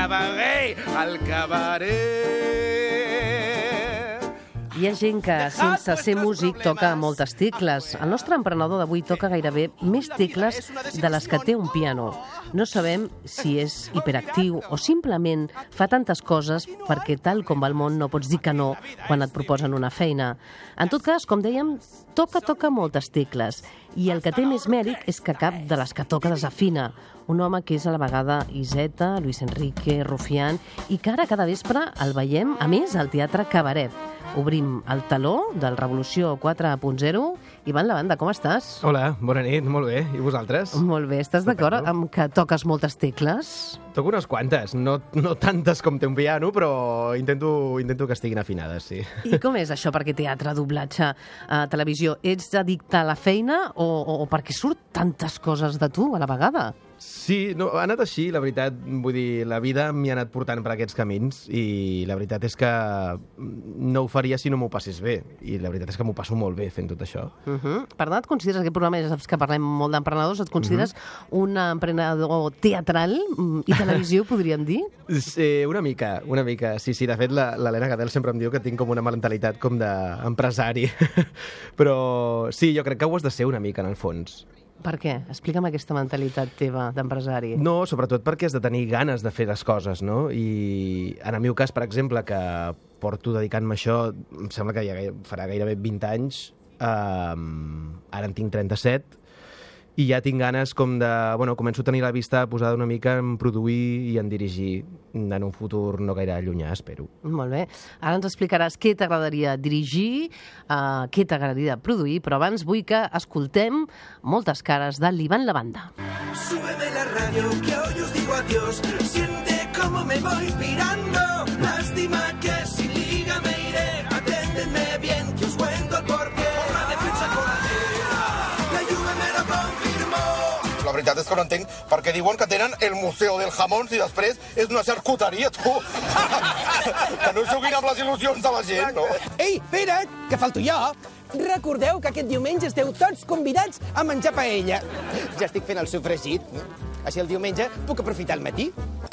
cabaret, al cabaret. Hi ha gent que, sense ser músic, toca moltes tecles. El nostre emprenedor d'avui toca gairebé més tecles de les que té un piano. No sabem si és hiperactiu o simplement fa tantes coses perquè, tal com va el món, no pots dir que no quan et proposen una feina. En tot cas, com dèiem, toca moltes tecles. I el que té més mèrit és que cap de les que toca desafina. Un home que és a la vegada Iseta, Luis Enrique, Rufián, i que ara cada vespre el veiem, a més, al Teatre Cabaret. Obrim el taló del Revolució 4.0. Ivan Lavanda, com estàs? Hola, bona nit, molt bé. I vosaltres? Molt bé. Estàs d'acord amb que toques moltes tecles? Toco unes quantes, no tantes com té un piano, però intento que estiguin afinades, sí. I com és això? Perquè teatre, doblatge, televisió, ets addicte a la feina o perquè surt tantes coses de tu a la vegada? Sí, no, ha anat així, la veritat. Vull dir, la vida m'hi ha anat portant per aquests camins i la veritat és que no ho faria si no m'ho passés bé. I la veritat és que m'ho passo molt bé fent tot això. Per tant, et consideres, aquest programa, ja saps que parlem molt d'emprenedors, et consideres un emprenedor teatral i televisió, podríem dir? Sí, una mica. Sí, de fet, l'Helena Gadel sempre em diu que tinc com una mentalitat com d'empresari. Però sí, jo crec que ho has de ser una mica, en el fons. Per què? Explica'm aquesta mentalitat teva d'empresari. No, sobretot perquè has de tenir ganes de fer les coses, no? I en el meu cas, per exemple, que porto dedicant-me a això, em sembla que ja farà gairebé 20 anys, ara en tinc 37, i ja tinc ganes com de... Bueno, començo a tenir la vista posada una mica en produir i en dirigir en un futur no gaire llunyà, espero. Molt bé. Ara ens explicaràs què t'agradaria dirigir, què t'agradaria produir, però abans vull que escoltem moltes cares de l'Ivan Lavanda. Súbeme la radio, que hoy os digo adiós. Siente como me voy pirando. Lástima que sin liga me iré. Aténdenme bien, que os cuento el porqué. Por la defensa coladera, la Juve me lo confirmó. La veritat és que no entenc per què diuen que tenen el Museu del Jamón si després és una charcuteria, tu. Que no juguin amb les il·lusions de la gent, no? Ei, espera't, que falto jo. Recordeu que aquest diumenge esteu tots convidats a menjar paella. Ja estic fent el sofregit. Així el diumenge puc aprofitar el matí.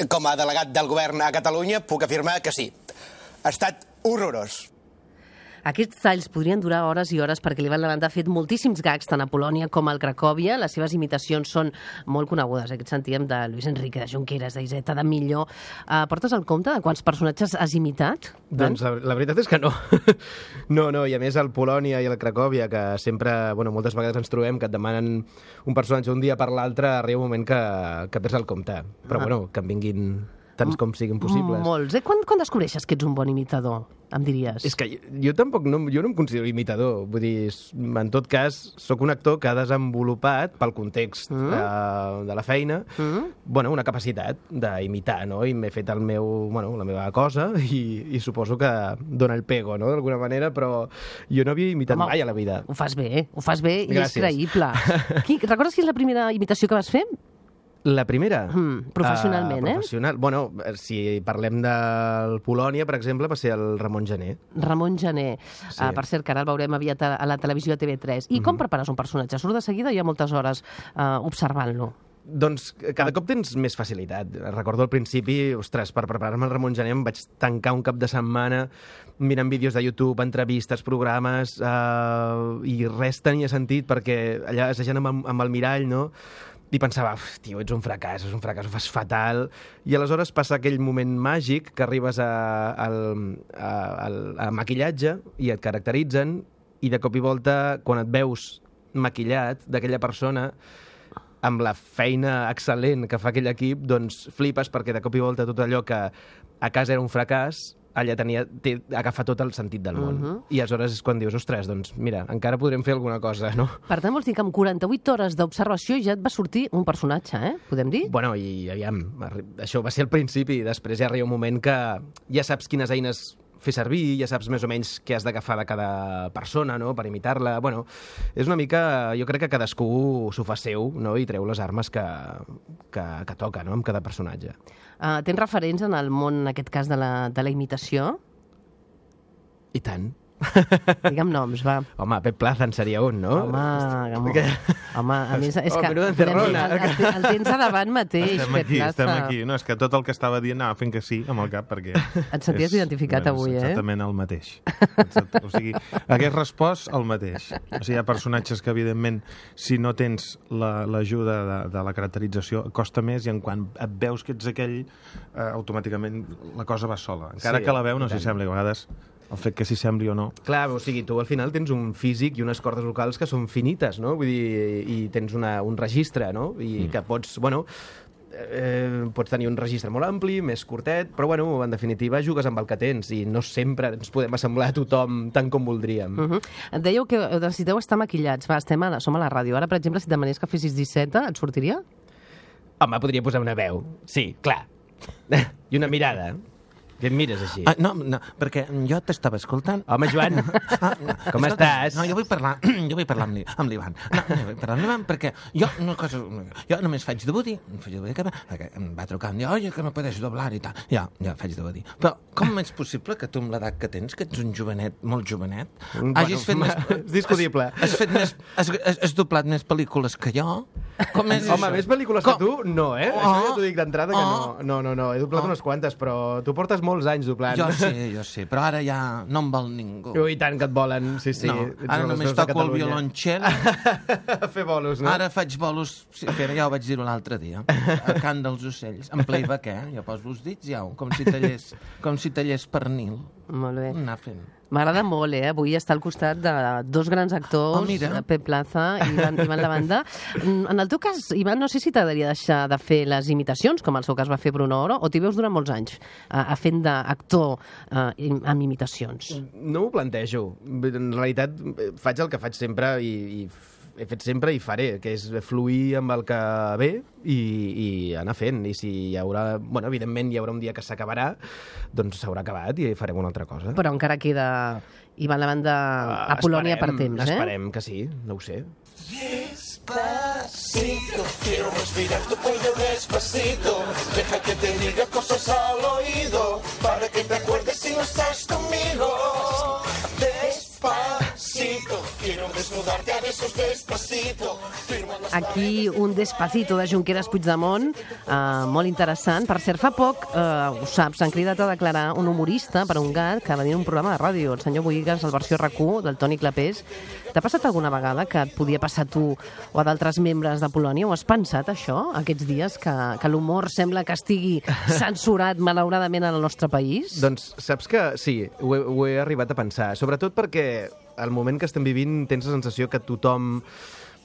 Com a delegat del govern a Catalunya puc afirmar que sí. Ha estat horrorós. Aquests talls podrien durar hores i hores perquè l'Ivan Lavanda ha fet moltíssims gags tant a Polònia com al Cracòvia. Les seves imitacions són molt conegudes. Aquest sentíem de Luis Enrique, de Junqueras, d'Iseta, de Millo. Portes el compte de quants personatges has imitat? Doncs la veritat és que no. No, i a més al Polònia i al Cracòvia, que sempre, bueno, moltes vegades ens trobem que et demanen un personatge un dia per l'altre, arriba un moment que perds el compte. Però bueno, que en vinguin tants com siguin possibles. Molts. Quan descobreixes que ets un bon imitador, em diries? És que jo tampoc no em considero imitador. Vull dir, en tot cas, sóc un actor que ha desenvolupat, pel context de la feina, bueno, una capacitat d'imitar, no? I m'he fet la meva cosa i suposo que dona el pego, no?, d'alguna manera, però jo no havia imitat mai a la vida. Ho fas bé i Gràcies. és creïble. Recordes quina és la primera imitació que vas fer? La primera? Professionalment, professional. Bueno, si parlem del Polònia, per exemple, va ser el Ramon Gené. Ramon Gené. Sí. Per cert, que ara el veurem aviat a la televisió a TV3. I com prepares un personatge? Surt de seguida o hi ha moltes hores observant-lo? Doncs cada cop tens més facilitat. Recordo al principi, ostres, per preparar-me el Ramon Gené em vaig tancar un cap de setmana mirant vídeos de YouTube, entrevistes, programes, i res tenia sentit perquè allà assajant amb el mirall, no?, i pensava, tio, ets un fracàs, ho fas fatal. I aleshores passa aquell moment màgic que arribes al maquillatge i et caracteritzen i de cop i volta, quan et veus maquillat d'aquella persona, amb la feina excel·lent que fa aquell equip, doncs flipes perquè de cop i volta tot allò que a casa era un fracàs, allà agafa tot el sentit del món. I aleshores és quan dius, ostres, doncs mira, encara podrem fer alguna cosa, no? Per tant, vols dir que amb 48 hores d'observació ja et va sortir un personatge, Podem dir? Bueno, i aviam, això va ser al principi, i després ja arriba un moment que ja saps quines eines fer servir, ja saps més o menys què has d'agafar de cada persona, no?, per imitar-la. Bueno, és una mica... Jo crec que cadascú s'ho fa seu, no?, i treu les armes que toca, no?, amb cada personatge. Tens referents en el món, en aquest cas, de la imitació? I tant. Digue'm noms, va. Home, Pep Plaza en seria un, no? Home, a més, és que menuda encerrona. el tens a davant mateix, Pep Plaza. Estem aquí. No, és que tot el que estava dient anava fent que sí amb el cap, perquè... Et senties identificat avui, Exactament el mateix. O sigui, hagués respost el mateix. O sigui, hi ha personatges que, evidentment, si no tens l'ajuda de la caracterització, costa més, i en quan et veus que ets aquell, automàticament la cosa va sola. Encara que la veu no s'hi sembli, a vegades el fet que s'hi sembli o no. Clar, o sigui, tu al final tens un físic i unes cordes vocals que són finites, no? Vull dir, i tens un registre, no? I que pots, bueno, pots tenir un registre molt ampli, més curtet, però, bueno, en definitiva, jugues amb el que tens i no sempre ens podem assemblar a tothom tant com voldríem. Et dèieu que necessiteu estar maquillats. Va, som a la ràdio. Ara, per exemple, si demanés que fessis disseta, et sortiria? Home, podria posar una veu. Sí, clar. I una mirada. Que em mires així? No, perquè jo t'estava escoltant. Home, Joan, com estàs? No, jo vull parlar amb l'Ivan. No, vull parlar amb l'Ivan perquè jo només faig de Woody, perquè em va trucar un dia, oye, que no puedes doblar i tal. Ja faig de Woody. Però com és possible que tu amb l'edat que tens, que ets un jovenet, molt jovenet, hagis fet més... És discutible. Has doblat més pel·lícules que jo? Com és Home, més pel·lícules que tu? No, Això ja t'ho dic d'entrada que no. No, he doblat unes quantes, però tu portes molts anys doblant. Jo sí, però ara ja no em vol ningú. Ui, tant que et volen, sí. No, ara només toco el violoncel. A fer bolos, no? Ara faig bolos, sí, ja ho vaig dir l'altre dia, a Cant dels Ocells, en playback, Jo poso els dits, com si tallés pernil. Molt bé. Anar fent. M'agrada molt, Avui està al costat de dos grans actors, Pep Plaza i Ivan Lavanda. En el teu cas, Ivan, no sé si t'agradaria deixar de fer les imitacions, com el seu cas va fer Bruno Oro, o t'hi veus durant molts anys fent d'actor amb imitacions? No ho plantejo. En realitat, faig el que faig sempre i he fet sempre i faré, que és fluir amb el que ve i anar fent. I si hi haurà... Bueno, evidentment hi haurà un dia que s'acabarà, doncs s'haurà acabat i farem una altra cosa. Però encara queda Ivan Lavanda a Polònia per temps, Esperem que sí, no ho sé. Despacito, quiero respirar tu cuello despacito. Deja que te diga cosas al oído, para que te acuerdes si no estás conmigo. Despacito, quiero desnudarte a besos despacito. Aquí un Despacito de Junqueras Puigdemont, molt interessant. Per cert, fa poc, ho saps, s'han cridat a declarar un humorista per un gat que va dir en un programa de ràdio, el senyor Boigas, el versió RAC1, del Toni Clapés. T'ha passat alguna vegada que et podia passar a tu o a d'altres membres de Polònia? Ho has pensat, això, aquests dies, que l'humor sembla que estigui censurat, malauradament, en el nostre país? Doncs saps que sí, ho he arribat a pensar. Sobretot perquè al moment que estem vivint tens la sensació que tothom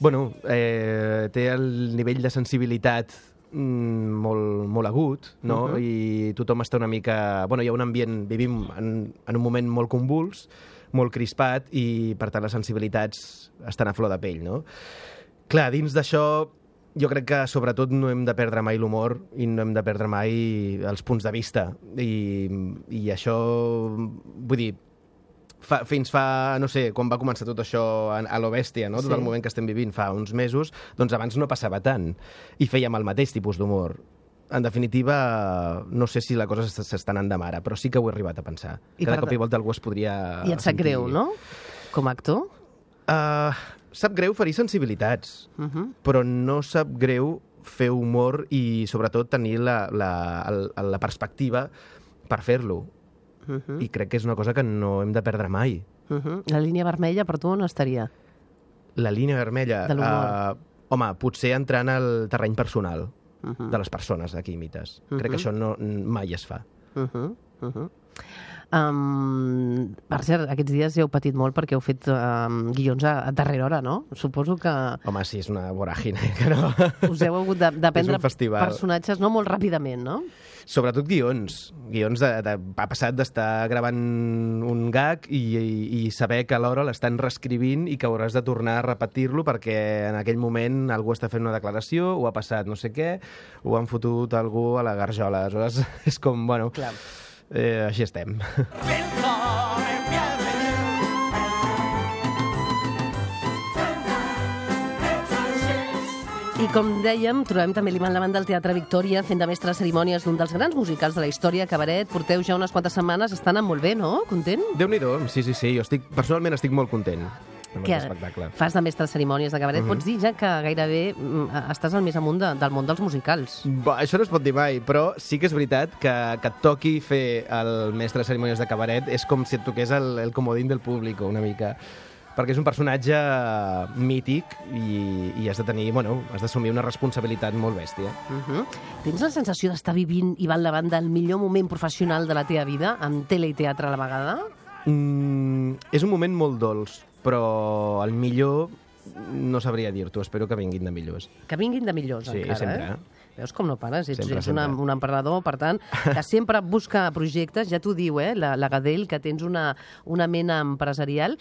té el nivell de sensibilitat molt agut, no? I tothom està una mica... Hi ha un ambient... Vivim en un moment molt convuls, molt crispat, i, per tant, les sensibilitats estan a flor de pell, no? Clar, dins d'això, jo crec que, sobretot, no hem de perdre mai l'humor i no hem de perdre mai els punts de vista. I això, vull dir, fins fa, no sé, quan va començar tot això a lo bèstia, no? Tot el moment que estem vivint fa uns mesos, doncs abans no passava tant i fèiem el mateix tipus d'humor. En definitiva, no sé si la cosa s'està anant de mare, però sí que ho he arribat a pensar. Cada cop i volta algú es podria... I et sap greu, no? Com a actor? Sap greu ferir sensibilitats, però no sap greu fer humor i, sobretot, tenir la perspectiva per fer-lo. I crec que és una cosa que no hem de perdre mai. La línia vermella per tu on estaria? La línia vermella? De l'humor. Home, potser entrar en el terreny personal de les persones a qui imites. Crec que això mai es fa. Per cert, aquests dies heu patit molt perquè heu fet guions a darrera hora, no? Suposo que... Home, sí, és una voràgine, que no... Us heu hagut d'aprendre personatges molt ràpidament, no? Sobretot guions. Ha passat d'estar gravant un gag i saber que alhora l'estan reescrivint i que hauràs de tornar a repetir-lo perquè en aquell moment algú està fent una declaració o ha passat no sé què o han fotut algú a la garjola. Aleshores, és com, bueno, així estem. I com dèiem, trobem també l'Ivan Lavanda del Teatre Victòria fent de mestre de cerimònies d'un dels grans musicals de la història, Cabaret. Porteu ja unes quantes setmanes, estan anant molt bé, no? Content? Déu-n'hi-do, sí, jo personalment estic molt content amb Que aquest espectacle. fas de mestre de cerimònies de Cabaret. Pots dir ja que gairebé estàs al més amunt del món dels musicals. Això no es pot dir mai, però sí que és veritat que et toqui fer el mestre de cerimònies de Cabaret és com si et toqués el comodín del públic, una mica, perquè és un personatge mític i has de tenir, has d'assumir una responsabilitat molt bèstia. Tens la sensació d'estar vivint, Ivan Lavanda, el millor moment professional de la teva vida, amb tele i teatre a la vegada? És un moment molt dolç, però el millor no sabria dir-t'ho. Espero que vinguin de millors. Que vinguin de millors, Sí, encara, sempre. Veus com no pares? Ets Sempre. un emprenedor, per tant, que sempre busca projectes, ja t'ho diu, la Gadell, que tens una mena empresarial.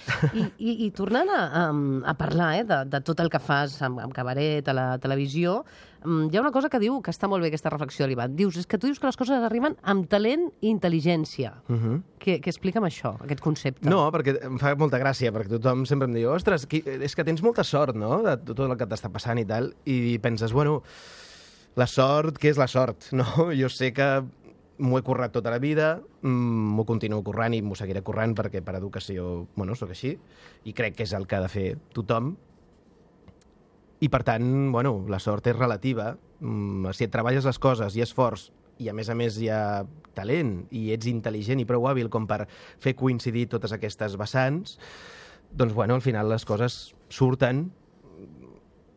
I tornant a parlar de tot el que fas amb Cabaret, a la televisió, hi ha una cosa que diu que està molt bé, aquesta reflexió de l'Ivan. És que tu dius que les coses arriben amb talent i intel·ligència. Que explica'm això, aquest concepte. No, perquè em fa molta gràcia, perquè tothom sempre em diu ostres, és que tens molta sort, no?, de tot el que t'està passant i tal, i penses, la sort, què és la sort? No? Jo sé que m'ho he currat tota la vida, m'ho continuo currant i m'ho seguiré currant perquè per educació, sóc així, i crec que és el que ha de fer tothom. I, per tant, la sort és relativa. Si et treballes les coses, hi ha esforç, i a més hi ha talent, i ets intel·ligent i prou hàbil com per fer coincidir totes aquestes vessants, doncs, al final les coses surten,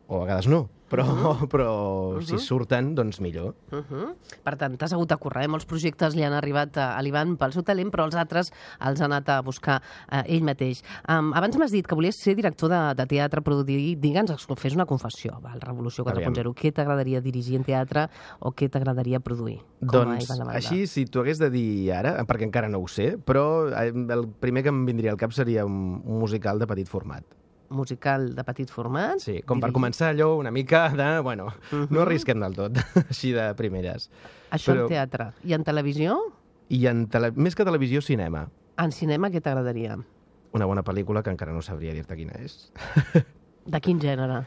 o a vegades no, però si surten, doncs millor. Per tant, t'has hagut de currar, molts projectes li han arribat a l'Ivan pel seu talent, però els altres els ha anat a buscar ell mateix. Abans m'has dit que volies ser director de teatre, però digue'ns, fes una confessió, el Revolució 4.0. Què t'agradaria dirigir en teatre o què t'agradaria produir? Doncs, així, si t'ho hagués de dir ara, perquè encara no ho sé, però el primer que em vindria al cap seria un musical de petit format. Musical de petit format? Sí, com per començar allò una mica de... no arrisquem del tot, així de primeres. Això en teatre. I en televisió? Més que televisió, cinema. En cinema què t'agradaria? Una bona pel·lícula que encara no sabria dir-te quina és. De quin gènere?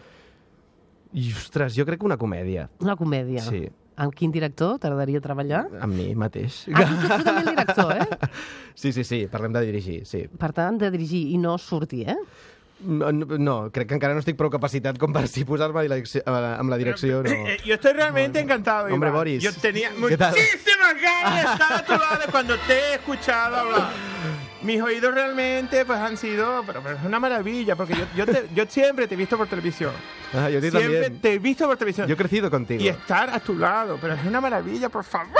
I, ostres, jo crec que una comèdia. Una comèdia? Sí. Amb quin director t'agradaria treballar? Amb mi mateix. Tu també el director, eh? Sí, parlem de dirigir, sí. Per tant, de dirigir i no sortir, eh? No, crec que encara no estic prou capacitat com per si posar-me amb la direcció. No. Yo estoy realmente encantado, Iván. Hombre, Boris. Yo tenía muchísimas ganas de estar a tu lado cuando te he escuchado hablar. Mis oídos realmente han sido... Pero es una maravilla, porque yo siempre te he visto por televisión. Yo siempre también. te he visto por televisión. Yo he crecido contigo. Y estar a tu lado, pero es una maravilla, por favor,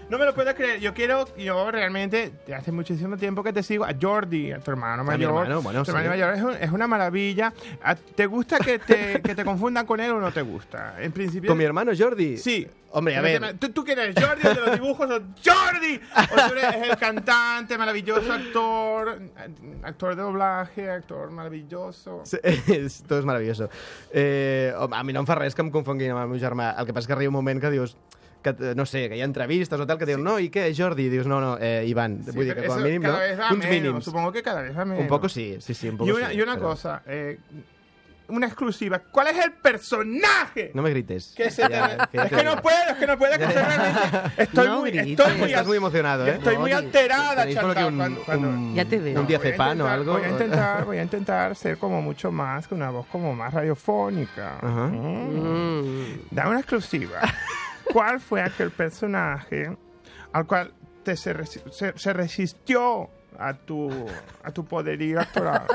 no me lo puedes creer. Yo realmente, hace muchísimo tiempo que te sigo, a Jordi, a tu hermano mayor. Tu hermano mayor es una maravilla. ¿Te gusta que te confundan con él o no te gusta? En principio... ¿Con mi hermano Jordi? Sí. Hombre, a ver. ¿Tú quién eres? ¿Jordi, el de los dibujos? ¿O Jordi? ¿O tú eres el cantante, maravilloso actor de doblaje, actor maravilloso? Sí, tot és maravilloso. A mi no em fa res que em confonguin amb el meu germà. El que passa és que arriba un moment que dius... no sé, que hi ha entrevistes o tal que diuen, no, ¿y qué, Jordi? Dius, no, Iván. Sí, vull dir que com a mínim, cada vez va uns menos, mínims. supongo que cada vez va menos. Un poco sí, un poco sí. Y una cosa, una exclusiva. ¿Cuál es el personaje? No me grites. Es que no puedo, que realmente Estás muy emocionado, ¿eh? Estoy muy alterada, Tenéis por aquí Ya te veo. un diazepam o algo. Voy a intentar ser como mucho más, con una voz como más radiofónica. Dame una exclusiva. ¿Cuál fue aquel personaje al cual se resistió a tu poderío actoral?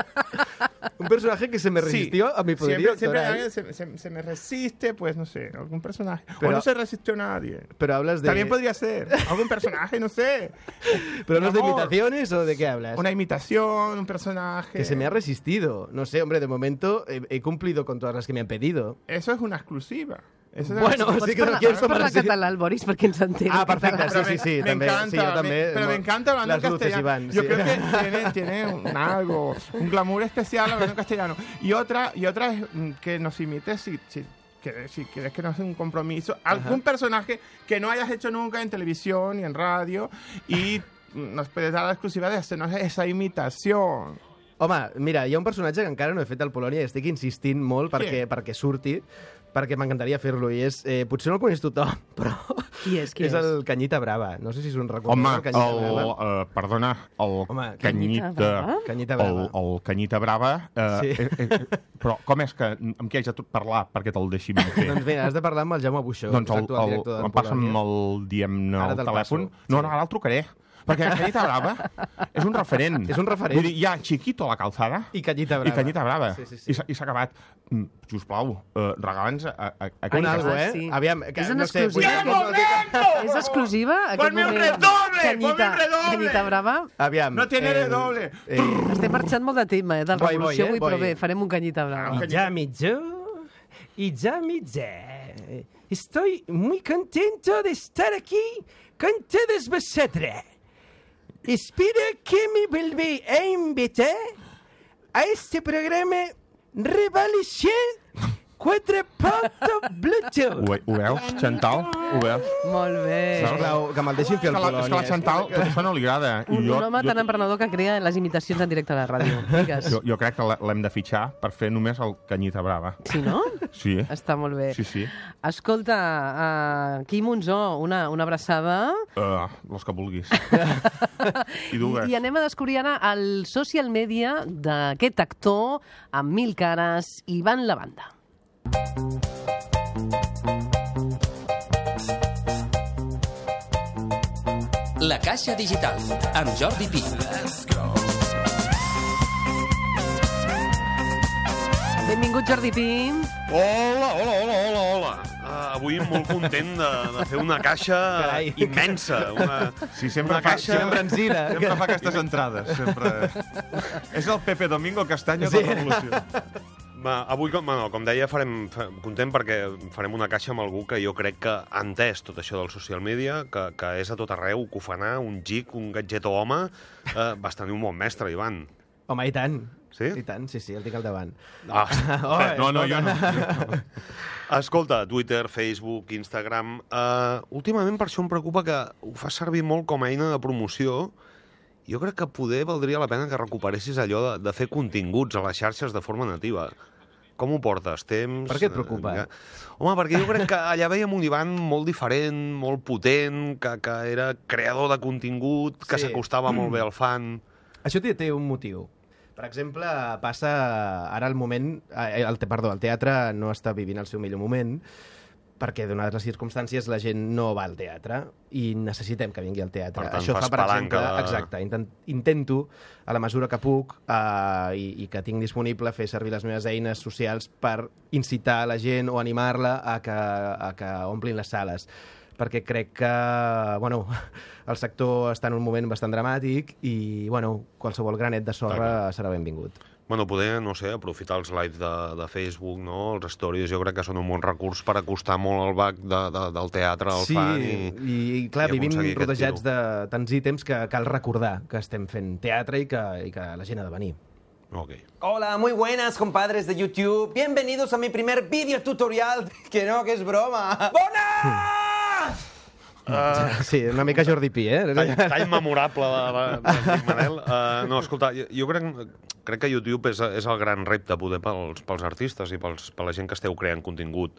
Un personaje que se me resistió a mi poderío actoral. Siempre se me resiste, pues no sé, algún personaje. Pero, o no se resistió nadie. Pero hablas de... También podría ser algún personaje, no sé. ¿Pero hablas de imitaciones o de qué hablas? Una imitación, un personaje. Que se me ha resistido. No sé, hombre, de momento he cumplido con todas las que me han pedido. Eso es una exclusiva. Bueno, sí que pots parlar català, el Boris, perquè ens entén. Ah, perfecte, sí, me també. encanta, Sí, yo también. pero me encanta hablando en castellano. Iván, yo sí. creo que tiene un glamour especial hablando en castellano. Y otra es que nos imites si quieres que nos haga un compromiso, algún personaje que no hayas hecho nunca en televisión ni en radio y nos puedes dar la exclusiva de hacernos esa imitación. Home, mira, hi ha un personatge que encara no he fet al Polònia i estic insistint molt perquè surti, perquè m'encantaria fer-lo, i és... potser no el coneix tothom, però... Qui és? És el Canyita Brava. No sé si és un record. Home, el Canyita Brava. perdona, el Home, Canyita... Canyita Brava. El Canyita Brava... Sí. Però com és que... Amb qui haig de parlar perquè te'l deixi ben fer? Doncs bé, has de parlar amb el Jaume Buixó. Doncs l'actual director de em passa'm Polònia. diguem-ne, Ara el te'l telèfon. passo. No, Sí. no, ara el trucaré. Perquè Canyita Brava és un referent. És un referent. Vull dir, hi ha Chiquito a la calçada I Canyita Brava. I Canyita Brava. Sí, sí, sí. I s'ha acabat. Sisplau, regala'ns a Un Canyita algo, Brava. Sí. Aviam, És en no sé, exclusiva. És exclusiva aquest Ponme un moment. redoble, ponme un redoble. Canyita Brava. Aviam. No tiene redoble. Estem marxant molt de tema, del Voy, Revolució voy, avui, però voy. bé, farem un Canyita Brava. Y ya mitjó. Estoy muy contento de estar aquí con todos vosotros. Espero que me volvéis a invitar a este programa Revolución 4.0 Bluetooth. Ho veus, Chantal? Ho veus? Molt bé. Sisplau, que me'l deixin fer el És que la Chantal tot això no li agrada. I Un home tan emprenedor que crea les imitacions en directe a la ràdio. Digues. jo crec que l'hem de fitxar per fer només el Canyita Brava. Sí, no? Sí. Està molt bé. Sí, sí. Escolta, Quim Monzó, una abraçada. Els que vulguis. I dues. I anem a descobrir ara el social media d'aquest actor amb 1000 cares, Ivan Lavanda. La Caixa Digital, amb Jordi Pi. Benvingut, Jordi Pi. Hola. Avui molt content de fer una caixa Carai. immensa. Sí, sempre una fa, caixa... embranzida. sempre fa aquestes entrades. Sempre. És el Pepe Domingo Castaño de la Revolució. Avui, com deia, farem content perquè farem una caixa amb algú que jo crec que ha entès tot això del social media, que és a tot arreu, cofanar, un gic, un gadget home. Vas tenir un bon mestre, Ivan. Home, i tant. Sí? I tant, sí, el tinc al davant. No, jo no. no. Escolta, Twitter, Facebook, Instagram... últimament per això em preocupa que ho fas servir molt com a eina de promoció. Jo crec que poder valdria la pena que recuperessis allò de fer continguts a les xarxes de forma nativa. Com ho portes? Temps? Per què et preocupa? Home, perquè jo crec que allà veiem un Ivan molt diferent, molt potent, que era creador de contingut, que Sí. s'acostava molt bé al fan... Això té un motiu. Per exemple, passa ara el moment... el teatre no està vivint el seu millor moment perquè, donades les circumstàncies, la gent no va al teatre i necessitem que vingui al teatre. Per tant, Això fas fa, per exemple... palanca de- Exacte. Intento, a la mesura que puc i que tinc disponible, fer servir les meves eines socials per incitar la gent o animar-la a que omplin les sales. Perquè crec que el sector està en un moment bastant dramàtic i qualsevol granet de sorra serà benvingut. Poder, no sé, aprofitar els lives de Facebook, no? Els stories, jo crec que són un bon recurs per acostar molt el bac del teatre al fan i clar, i vivim aconseguir aquest rodejats tiro. de tants ítems que cal recordar que estem fent teatre i que la gent ha de venir. Ok. Hola, muy buenas, compadres de YouTube. Bienvenidos a mi primer vídeo tutorial. Que no, que es broma. ¡Bonas! Sí, una mica Jordi Pi, Tall memorable d'Enric Manel. No, escolta, jo crec que YouTube és el gran repte poder pels artistes i per la gent que esteu creant contingut.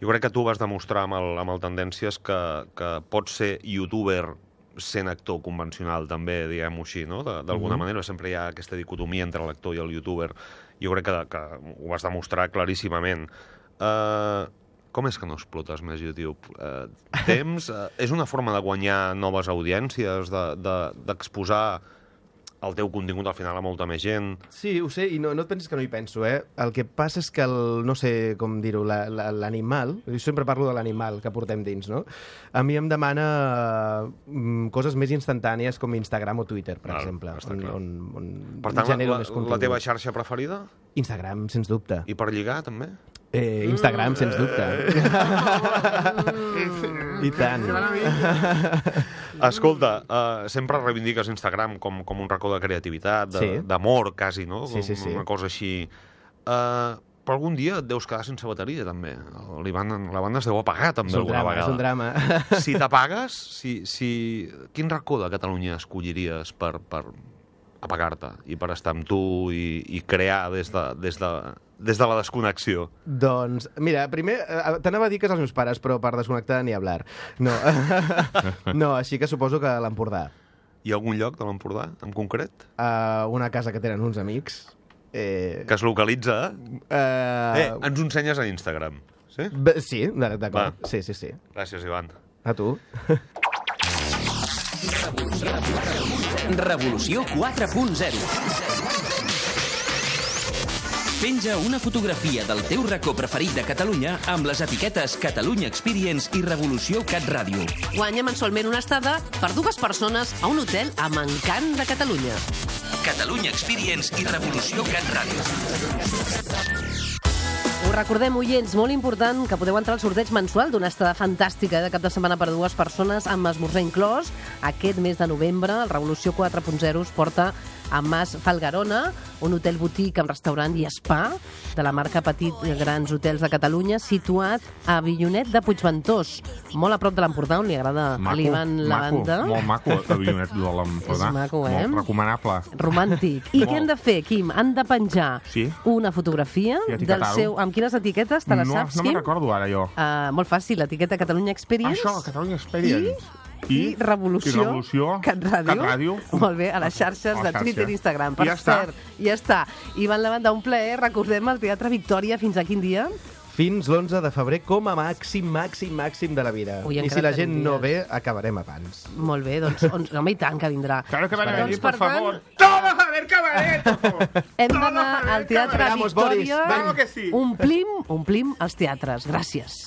Jo crec que tu vas demostrar amb el Tendències que pots ser youtuber sent actor convencional, també, diguem-ho així, no? D'alguna manera, sempre hi ha aquesta dicotomia entre l'actor i el youtuber. Jo crec que ho vas demostrar claríssimament. Com és que no explotes més YouTube? Temps? És una forma de guanyar noves audiències, d'exposar el teu contingut al final a molta més gent? Sí, ho sé, i no et pensis que no hi penso, eh? El que passa és que no sé com dir-ho, l'animal, jo sempre parlo de l'animal que portem dins, no? A mi em demana coses més instantànies com Instagram o Twitter, per exemple, on per tant, genero més contingut. la teva xarxa preferida? Instagram, sens dubte. I per lligar, també? Instagram, sens dubte. I tant. Escolta, sempre reivindiques Instagram com un racó de creativitat, d'amor, quasi, no? Sí. Una cosa així. Però algun dia et deus quedar sense bateria, també. La banda es deu apagar, també, alguna vegada. És un drama. Si t'apagues, quin racó de Catalunya escolliries per apagar-te i per estar amb tu i crear des de la desconnexió? Doncs, mira, primer, t'anava a dir que és els meus pares, però per desconnectar ni hablar. No, no, així que suposo que l'Empordà. Hi ha algun lloc de l'Empordà, en concret? Una casa que tenen uns amics. Que es localitza? Ens ho ensenyes a Instagram, sí? Sí, d'acord. Sí. Gràcies, Ivan. A tu. Revolució 4.0. Penja una fotografia del teu racó preferit de Catalunya amb les etiquetes Catalunya Experience i Revolució Cat Ràdio. Guanya mensualment una estada per 2 persones a un hotel amb encant de Catalunya. Catalunya Experience i Revolució Cat Ràdio. Us recordem, oients, molt important que podeu entrar al sorteig mensual d'una estada fantàstica de cap de setmana per 2 persones amb esmorzar inclòs. Aquest mes de novembre, el Revolució 4.0 us porta a Mas Falgarona, un hotel boutique amb restaurant i spa de la marca Petit Grans Hotels de Catalunya, situat a Avinyonet de Puigventós, molt a prop de l'Empordà, on li agrada a l'Ivan la banda. Molt maco, Avinyonet de l'Empordà. És maco, Molt recomanable. Romàntic. I què han de fer, Quim? Han de penjar una fotografia del seu... Amb quines etiquetes? Te les saps, Quim? No me'n recordo ara, jo. Molt fàcil, l'etiqueta Catalunya Experience. Això, Catalunya Experience. I Revolució Cat Ràdio. Molt bé, a les xarxes de Twitter i Instagram. Per cert, ja està. Ivan Lavanda, un plaer. Recordem el Teatre Victòria. Fins a quin dia? Fins l'11 de febrer, com a màxim de la vida. I si la gent no ve, acabarem abans. Molt bé, doncs, home, i tant que vindrà. Claro que van a venir, por favor. ¡Todos a ver cabaret! Hem d'anar al Teatre Victòria. Vamos que sí. Omplim els teatres. Gràcies.